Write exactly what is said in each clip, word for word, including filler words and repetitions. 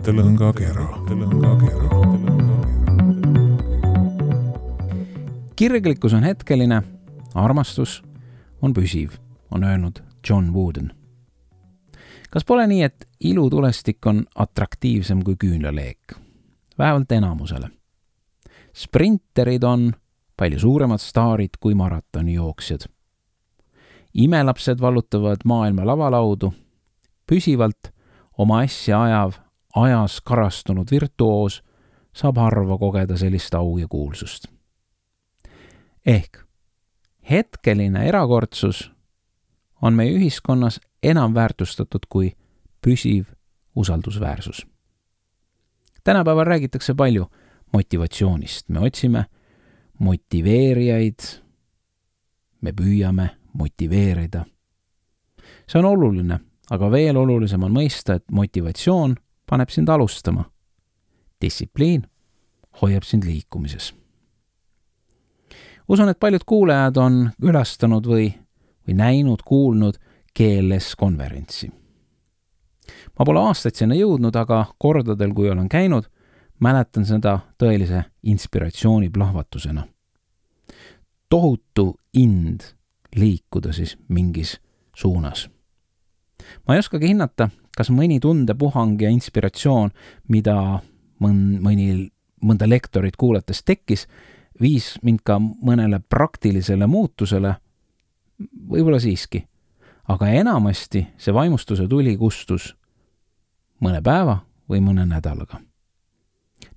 Mõttelõngakera. Kirglikkus on hetkeline, armastus on püsiv, on öelnud John Wooden. Kas pole nii, et ilutulestik on atraktiivsem kui küünlaleek? Vähemalt enamusele. Sprinterid on palju suuremad staarid kui maratonijooksjad. Imelapsed vallutavad maailma lavalaudu, püsivalt oma asja ajav, ajas karastunud virtuoos saab harva kogeda sellist au ja kuulsust. Ehk hetkeline erakordsus on meie ühiskonnas enam väärtustatud kui püsiv usaldusväärsus. Tänapäeval räägitakse palju motivatsioonist. Me otsime motiveerijaid, me püüame motiveerida. See on oluline, aga veel olulisem on mõista, et motivatsioon paneb sind alustama. Distsipliin hoiab sind liikumises. Usun, et paljud kuulajad on külastanud või, või näinud, kuulnud G L S konverentsi. Ma pole aastaid sinna jõudnud, aga kordadel, kui olen käinud, mäletan seda tõelise inspiratsiooni plahvatusena. Tohutu ind liikuda siis mingis suunas. Ma ei oskagi hinnata, kas mõni tundepuhang ja inspiratsioon, mida mõn, mõni, mõnda lektorit kuulates tekkis, viis mind ka mõnele praktilisele muutusele, võib-olla siiski. Aga enamasti see vaimustuse tuli kustus mõne päeva või mõne nädalaga.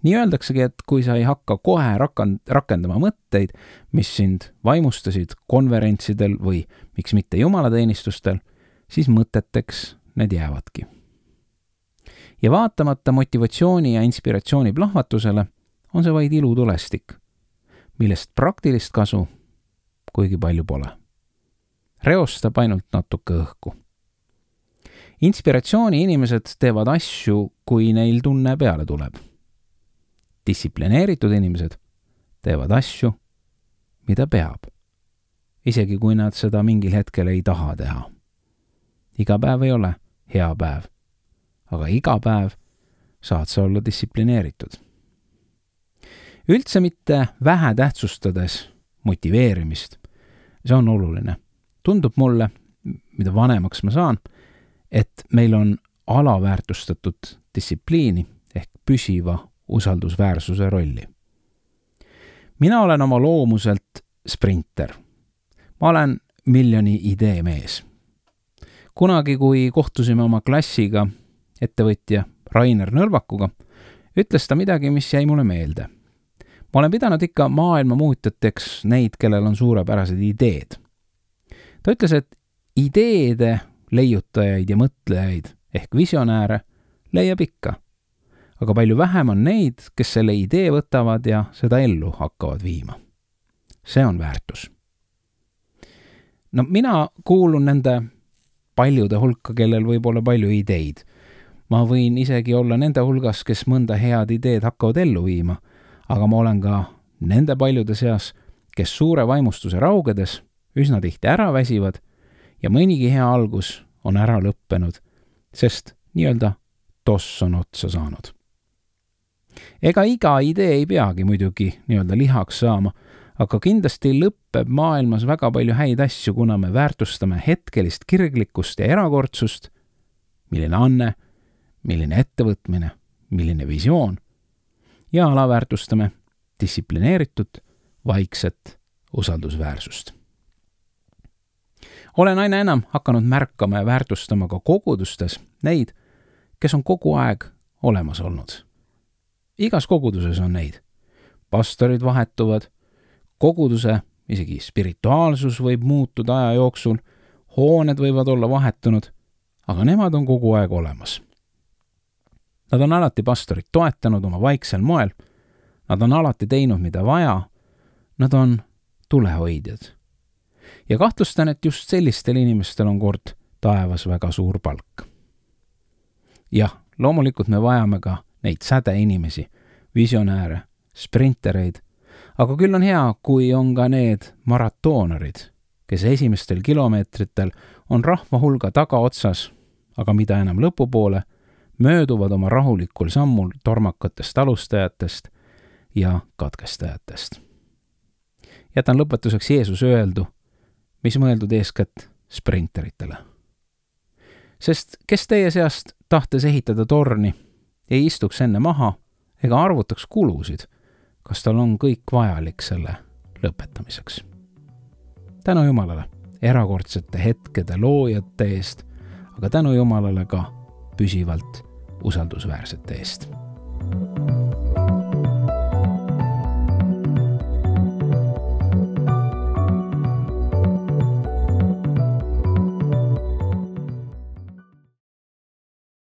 Nii öeldaksegi, et kui sa ei hakka kohe rakendama mõtteid, mis sind vaimustasid konverentsidel või miks mitte jumalateenistustel, siis mõteteks need jäävadki. Ja vaatamata motivatsiooni ja inspiratsiooni plahvatusele on see vaid ilutulestik, millest praktilist kasu kuigi palju pole. Reostab ainult natuke õhku. Inspiratsiooni inimesed teevad asju, kui neil tunne peale tuleb. Distsiplineeritud inimesed teevad asju, mida peab, isegi kui nad seda mingil hetkel ei taha teha. Iga päev ei ole hea päev, aga iga päev saad sa olla distsiplineeritud. Üldse mitte vähe tähtsustades motiveerimist, see on oluline. Tundub mulle, mida vanemaks ma saan, et meil on alaväärtustatud distsipliini ehk püsiva usaldusväärsuse rolli. Mina olen oma loomuselt sprinter. Ma olen miljoni idee mees. Kunagi, kui kohtusime oma klassiga ettevõtja Rainer Nõlvakuga, ütles ta midagi, mis jäi mulle meelde. Ma olen pidanud ikka maailma muutjateks neid, kellel on suurepärased ideed. Ta ütles, et ideede leiutajaid ja mõtlejaid ehk visionääre leiab ikka, aga palju vähem on neid, kes selle idee võtavad ja seda ellu hakkavad viima. See on väärtus. No mina kuulun nende paljude hulka, kellel võib olla palju ideid. Ma võin isegi olla nende hulgas, kes mõnda head ideed hakkavad ellu viima, aga ma olen ka nende paljude seas, kes suure vaimustuse raugedes üsna tihti ära väsivad ja mõnigi hea algus on ära lõppenud, sest nii-öelda toss on otsa saanud. Ega iga idee ei peagi muidugi nii-öelda lihaks saama, aga kindlasti lõpeb maailmas väga palju häid asju, kuna me väärtustame hetkelist kirglikkust ja erakordsust, milline anne, milline ettevõtmine, milline visioon, ja alaväärtustame distsiplineeritud, vaikset usaldusväärsust. Olen aina enam hakanud märkama ja väärtustama ka kogudustes neid, kes on kogu aeg olemas olnud. Igas koguduses on neid. Pastorid vahetuvad, koguduse, isegi spirituaalsus võib muutuda aja jooksul, hooned võivad olla vahetunud, aga nemad on kogu aeg olemas. Nad on alati pastorit toetanud oma vaiksel moel, nad on alati teinud, mida vaja, nad on tulehoidjad. Ja kahtlustan, et just sellistel inimestel on kord taevas väga suur palk. Jah, loomulikult me vajame ka neid sädeinimesi, visionääre, sprintereid, aga küll on hea, kui on ka need maratoonarid, kes esimestel kilomeetritel on rahva hulga tagaotsas, aga mida enam lõpupoole, mööduvad oma rahulikul sammul tormakatest alustajatest ja katkestajatest. Jätan lõpetuseks Jeesuse öeldu, mis mõeldud eeskätt sprinteritele. Sest kes teie seast tahtes ehitada torni, ei istuks enne maha ega arvutaks kulusid, kas tal on kõik vajalik selle lõpetamiseks. Tänu Jumalale erakordsete hetkede loojate eest, aga tänu Jumalale ka püsivalt usaldusväärsete eest.